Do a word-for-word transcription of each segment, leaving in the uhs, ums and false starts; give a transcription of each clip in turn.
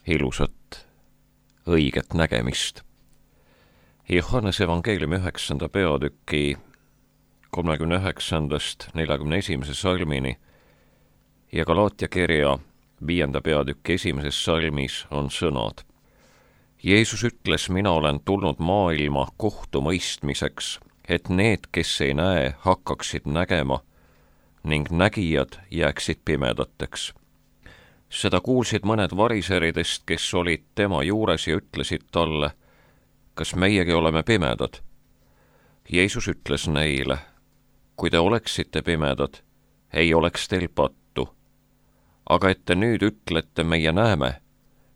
ilusat, õiget nägemist. Johannese evangeeliumi üheksanda peatüki kolmekümne üheksandast neljakümne esimese salmini ja Galaatia kirja viienda peatüki esimeses salmis on sõnad. Jeesus ütles, mina olen tulnud maailma kohtumõistmiseks, et need, kes ei näe, hakkaksid nägema ning nägijad jääksid pimedateks. Seda kuulsid mõned variseridest, kes olid tema juures ja ütlesid talle, kas meiegi oleme pimedad? Jeesus ütles neile, kui te oleksite pimedad, ei oleks teil pattu. Aga et te nüüd ütlete, meie näeme,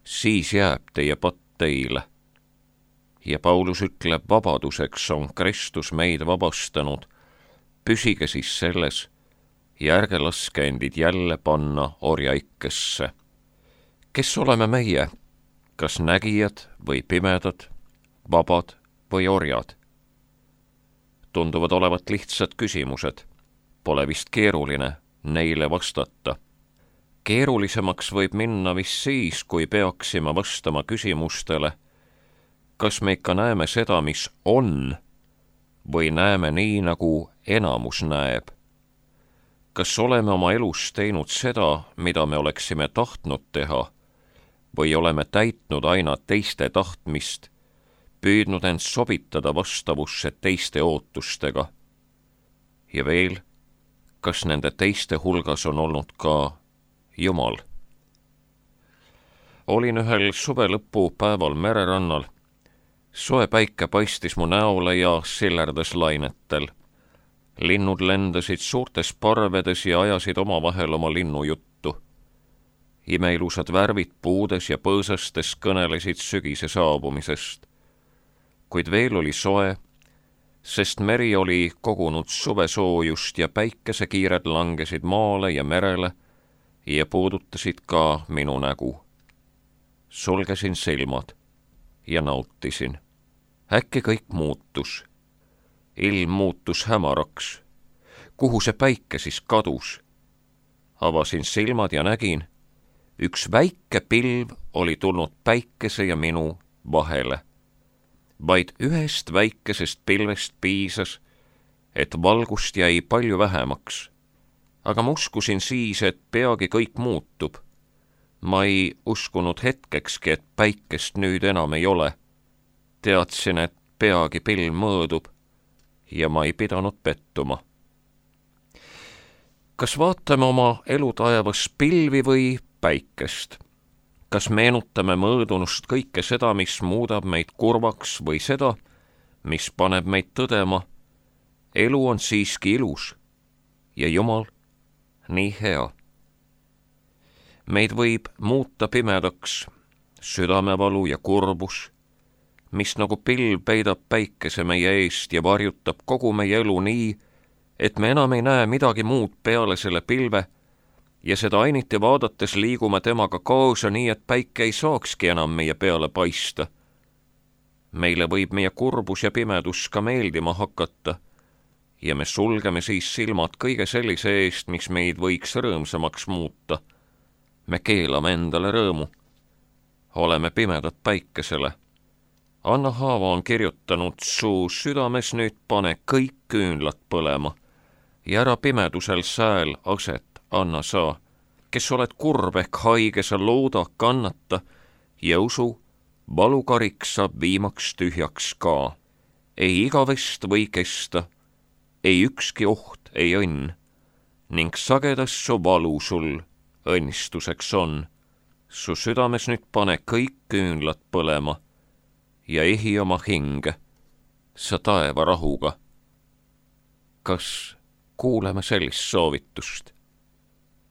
siis jääb teie patt teile. Ja Paulus ütleb, vabaduseks on Kristus meid vabastanud. Püsige siis selles ja ärge laske endid jälle panna orjaikesse. Kes oleme meie? Kas nägijad või pimedad, vabad või orjad? Tunduvad olevat lihtsad küsimused. Pole vist keeruline neile vastata. Keerulisemaks võib minna vist siis, kui peaksime vastama küsimustele, kas me ikka näeme seda, mis on, või näeme nii, nagu enamus näeb. Kas oleme oma elus teinud seda, mida me oleksime tahtnud teha, või oleme täitnud aina teiste tahtmist, püüdnud end sobitada vastavusse teiste ootustega? Ja veel, kas nende teiste hulgas on olnud ka Jumal? Olin ühel suvelõpu päeval mererannal. Soe päike paistis mu näole ja sillerdas lainetel. Linnud lendasid suurtes parvedes ja ajasid omavahel oma linnujuttu. Imeilusad värvid puudes ja põõsastes kõnelesid sügise saabumisest. Kuid veel oli soe, sest meri oli kogunud suvesoojust ja päikesekiired langesid maale ja merele ja puudutasid ka minu nägu. Sulgesin silmad ja nautisin. Äkki kõik muutus. Ilm muutus hämaraks. Kuhu see päike siis kadus? Avasin silmad ja nägin, üks väike pilv oli tulnud päikese ja minu vahele. Vaid ühest väikesest pilvest piisas, et valgust jäi palju vähemaks. Aga ma uskusin siis, et peagi kõik muutub. Ma ei uskunud hetkekski, et päikest nüüd enam ei ole. Teadsin, et peagi pilv mõõdub ja ma ei pidanud pettuma. Kas vaatame oma elutaevas pilvi või päikest? Kas meenutame mõõdunust kõike seda, mis muudab meid kurvaks või seda, mis paneb meid tõdema? Elu on siiski ilus ja Jumal nii hea. Meid võib muuta pimedaks, südamevalu ja kurbus, mis nagu pilv peidab päikese meie eest ja varjutab kogu meie elu nii, et me enam ei näe midagi muud peale selle pilve ja seda ainiti vaadates liigume temaga kaasa nii, et päike ei saakski enam meie peale paista. Meile võib meie kurbus ja pimedus ka meeldima hakata ja me sulgeme siis silmad kõige sellise eest, mis meid võiks rõõmsamaks muuta. Me keelame endale rõõmu. Oleme pimedad päikesele. Anna Haava on kirjutanud, su südames nüüd pane kõik küünlad põlema ja ära pimedusel sääl aset anna sa, kes oled kurb ehk haige, sa looda, kannata ja usu, valukarik saab viimaks tühjaks ka. Ei igavest või kesta, ei ükski oht, ei õnn, ning sagedas su valu sul õnnistuseks on. Su südames nüüd pane kõik küünlad põlema ja ehi oma hinge, sa taeva rahuga. Kas kuuleme sellist soovitust?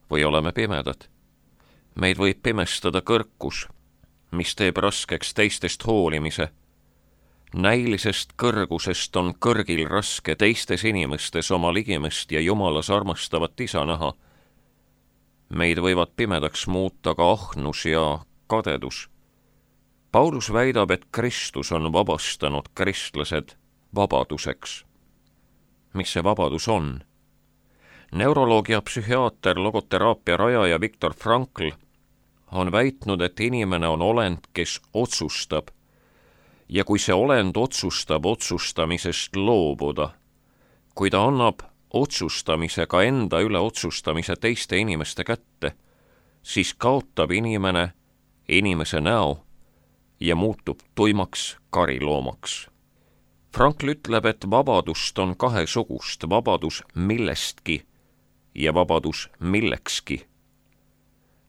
Või oleme pimedad? Meid võib pimestada kõrkus, mis teeb raskeks teistest hoolimise. Näilisest kõrgusest on kõrgil raske teistes inimestes oma ligimest ja Jumalas armastavat isa näha. Meid võivad pimedaks muuta ka ahnus ja kadedus. Paulus väidab, et Kristus on vabastanud kristlased vabaduseks. Mis see vabadus on? Neuroloog ja psühhiaater, logoteraapia rajaja Viktor Frankl on väitnud, et inimene on olend, kes otsustab. Ja kui see olend otsustab otsustamisest loobuda, kui ta annab otsustamisega enda üle otsustamise teiste inimeste kätte, siis kaotab inimene inimese näo ja muutub tuimaks kariloomaks. Frankl ütleb, et vabadust on kahesugust, vabadus millestki ja vabadus millekski.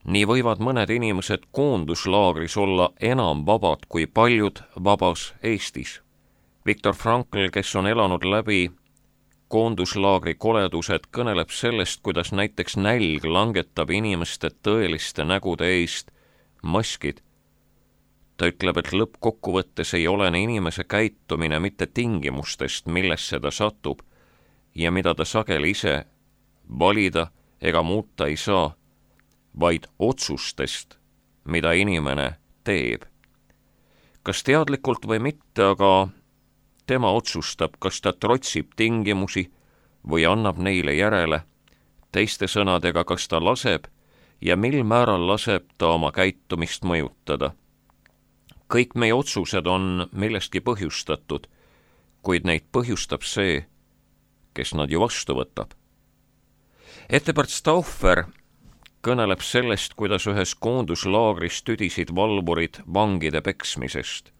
Nii võivad mõned inimesed koonduslaagris olla enam vabad kui paljud vabas Eestis. Viktor Frankl, kes on elanud läbi koonduslaagri koledused, kõneleb sellest, kuidas näiteks nälg langetab inimeste tõeliste nägude eest maskid. Ta ütleb, et lõppkokkuvõttes ei olene inimese käitumine mitte tingimustest, millesse ta satub ja mida ta sageli ise valida ega muuta ei saa, vaid otsustest, mida inimene teeb. Kas teadlikult või mitte, aga tema otsustab, kas ta trotsib tingimusi või annab neile järele, teiste sõnadega, kas ta laseb ja mil määral laseb ta oma käitumist mõjutada. Kõik meie otsused on millestki põhjustatud, kuid neid põhjustab see, kes nad ju vastu võtab. Ettebert Stauffer kõneleb sellest, kuidas ühes koonduslaagris tüdisid valvurid vangide peksmisest.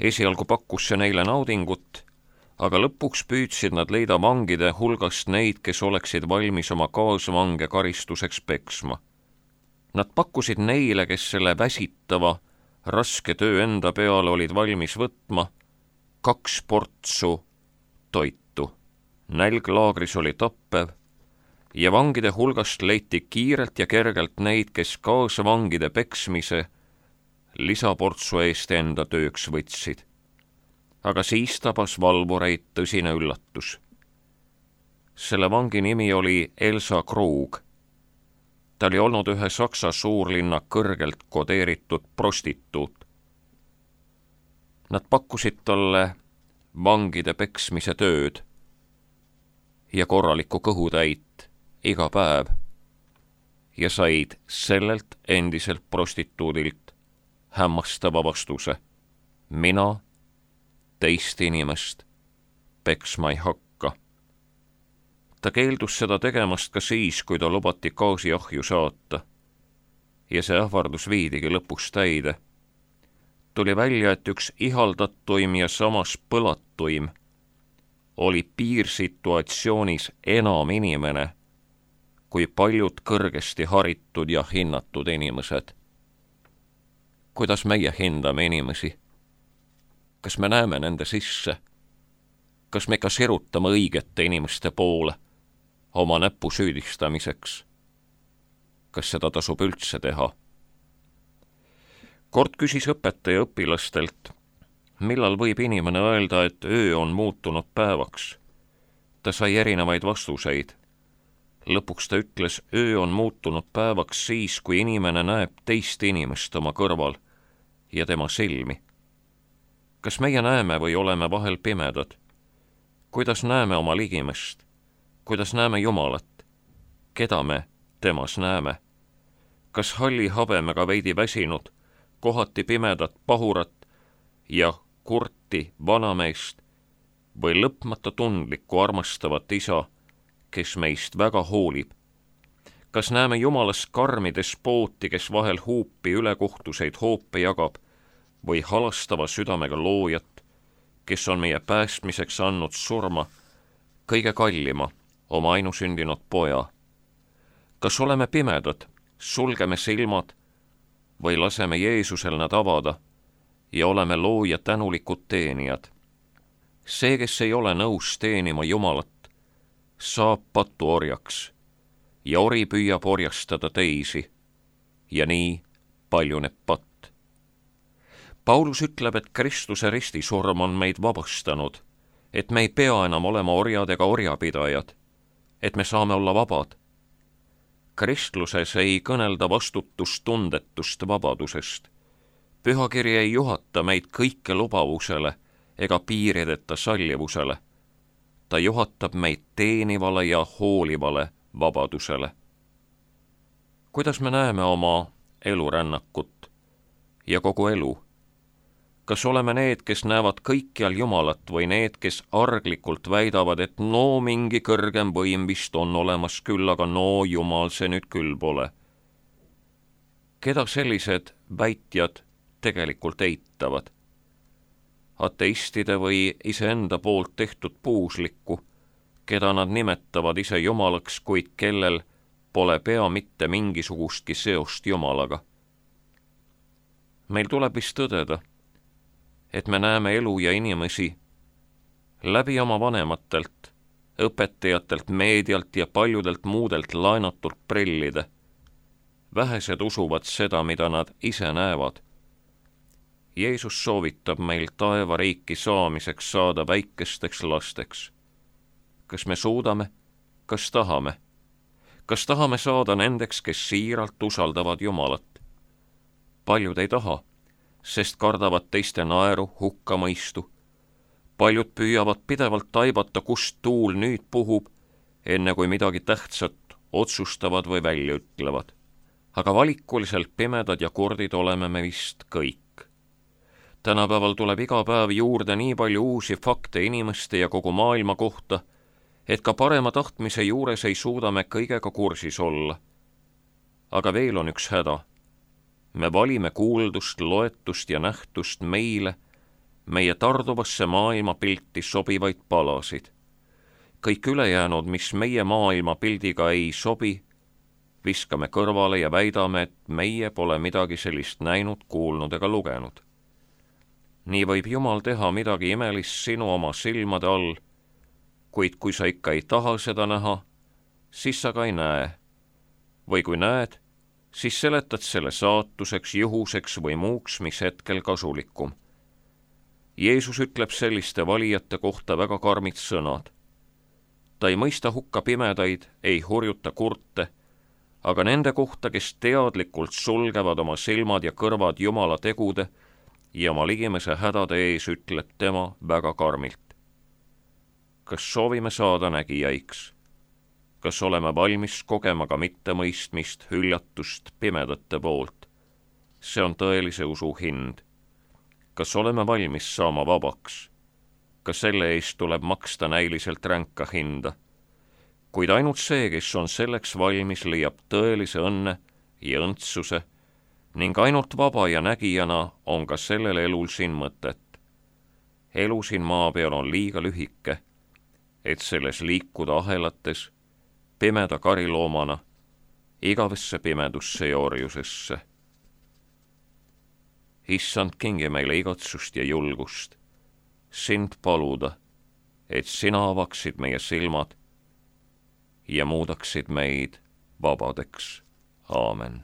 Esialgu pakkus see neile naudingut, aga lõpuks püüdsid nad leida vangide hulgast neid, kes oleksid valmis oma kaasvange karistuseks peksma. Nad pakkusid neile, kes selle väsitava, raske töö enda peale olid valmis võtma, kaks portsu toitu. Nälg laagris oli tappev ja vangide hulgast leiti kiirelt ja kergelt neid, kes kaasvangide peksmise lisaportsu eest enda tööks võtsid. Aga siis tabas valvureid tõsine üllatus. Selle vangi nimi oli Elsa Krug. Ta oli olnud ühe Saksa suurlinna kõrgelt kodeeritud prostituut. Nad pakkusid talle vangide peksmise tööd ja korralikku kõhutäit iga päev ja said sellelt endiselt prostituudilt hämmastava vastuse. Mina teist inimest peksma ei hakka. Ta keeldus seda tegemast ka siis, kui ta lubati gaasiahju saata. Ja see ähvardus viidigi lõpuks täide. Tuli välja, et üks ihaldatuim ja samas põlatuim oli piirsituatsioonis enam inimene kui paljud kõrgesti haritud ja hinnatud inimesed. Kuidas meie hindame inimesi? Kas me näeme nende sisse? Kas me ka sirutame õigete inimeste poole oma näpu süüdistamiseks? Kas seda tasub üldse teha? Kord küsis õpetaja õpilastelt, millal võib inimene öelda, et öö on muutunud päevaks. Ta sai erinevaid vastuseid. Lõpuks ta ütles, öö on muutunud päevaks siis, kui inimene näeb teist inimest oma kõrval ja tema silmi. Kas meie näeme või oleme vahel pimedad? Kuidas näeme oma ligimest? Kuidas näeme Jumalat? Keda me temas näeme? Kas halli habemega veidi väsinud, kohati pimedat pahurat ja kurti vanameest või lõpmata tundlikku armastavat isa, kes meist väga hoolib? Kas näeme Jumalas karmi despooti, kes vahel huupi ülekohtuseid hoope jagab, või halastava südamega loojat, kes on meie päästmiseks andnud surma kõige kallima, oma ainusündinud poja? Kas oleme pimedad, sulgeme silmad või laseme Jeesusel nad avada ja oleme looja tänulikud teenijad? See, kes ei ole nõus teenima Jumalat, saab patuorjaks ja ori püüab orjastada teisi ja nii paljuneb patt. Paulus ütleb, et Kristuse ristisurm on meid vabastanud, et me ei pea enam olema orjad ega orjapidajad, et me saame olla vabad. Kristluses ei kõnelda vastutustundetust vabadusest. Pühakiri ei juhata meid kõike lubavusele ega piirideta sallivusele. Ta juhatab meid teenivale ja hoolivale vabadusele. Kuidas me näeme oma elurännakut ja kogu elu? Kas oleme need, kes näevad kõikjal Jumalat või need, kes arglikult väidavad, et no mingi kõrgem võim vist on olemas küll, aga no Jumal see nüüd küll pole? Keda sellised väitjad tegelikult eitavad? Ateistide või iseenda poolt tehtud puuslikku, keda nad nimetavad ise Jumalaks, kuid kellel pole pea mitte mingisugustki seost Jumalaga? Meil tuleb vist tõdeda, et me näeme elu ja inimesi läbi oma vanematelt, õpetajatelt, meedialt ja paljudelt muudelt laenatult prillide. Vähesed usuvad seda, mida nad ise näevad. Jeesus soovitab meil taevariiki saamiseks saada väikesteks lasteks. Kas me suudame? Kas tahame? Kas tahame saada nendeks, kes siiralt usaldavad Jumalat? Paljud ei taha, sest kardavad teiste naeru, hukkamõistu. Paljud püüavad pidevalt taibata, kust tuul nüüd puhub, enne kui midagi tähtsat otsustavad või välja ütlevad. Aga valikuliselt pimedad ja kurdid oleme me vist kõik. Tänapäeval tuleb iga päev juurde nii palju uusi fakte inimeste ja kogu maailma kohta, et ka parema tahtmise juures ei suuda me kõigega kursis olla. Aga veel on üks häda. Me valime kuuldust, loetust ja nähtust meile, meie tarduvasse maailmapilti sobivaid palasid. Kõik ülejäänud, mis meie maailmapildiga ei sobi, viskame kõrvale ja väidame, et meie pole midagi sellist näinud, kuulnud ega lugenud. Nii võib Jumal teha midagi imelist sinu oma silmade all, kuid kui sa ikka ei taha seda näha, siis sa ka ei näe. Või kui näed, siis seletad selle saatuseks, juhuseks või muuks, mis hetkel kasulikum. Jeesus ütleb selliste valijate kohta väga karmid sõnad. Ta ei mõista hukka pimedaid, ei hurjuta kurte, aga nende kohta, kes teadlikult sulgevad oma silmad ja kõrvad Jumala tegude ja oma ligimese hädade ees, ütleb tema väga karmilt. Kas soovime saada nägijaiks? Kas oleme valmis kogema ka mittemõistmist, hüljatust pimedate poolt? See on tõelise usu hind. Kas oleme valmis saama vabaks? Ka selle eest tuleb maksta näiliselt ränka hinda. Kuid ainult see, kes on selleks valmis, leiab tõelise õnne ja õndsuse ning ainult vaba ja nägijana on ka sellel elul siin mõtet. Elu siin maa peal on liiga lühike, et selles liikuda ahelates pimeda kariloomana igavesse pimedusse ja orjusesse. Issand, kingi meile igatsust ja julgust, sind paluda, et sina avaksid meie silmad ja muudaksid meid vabadeks. Aamen.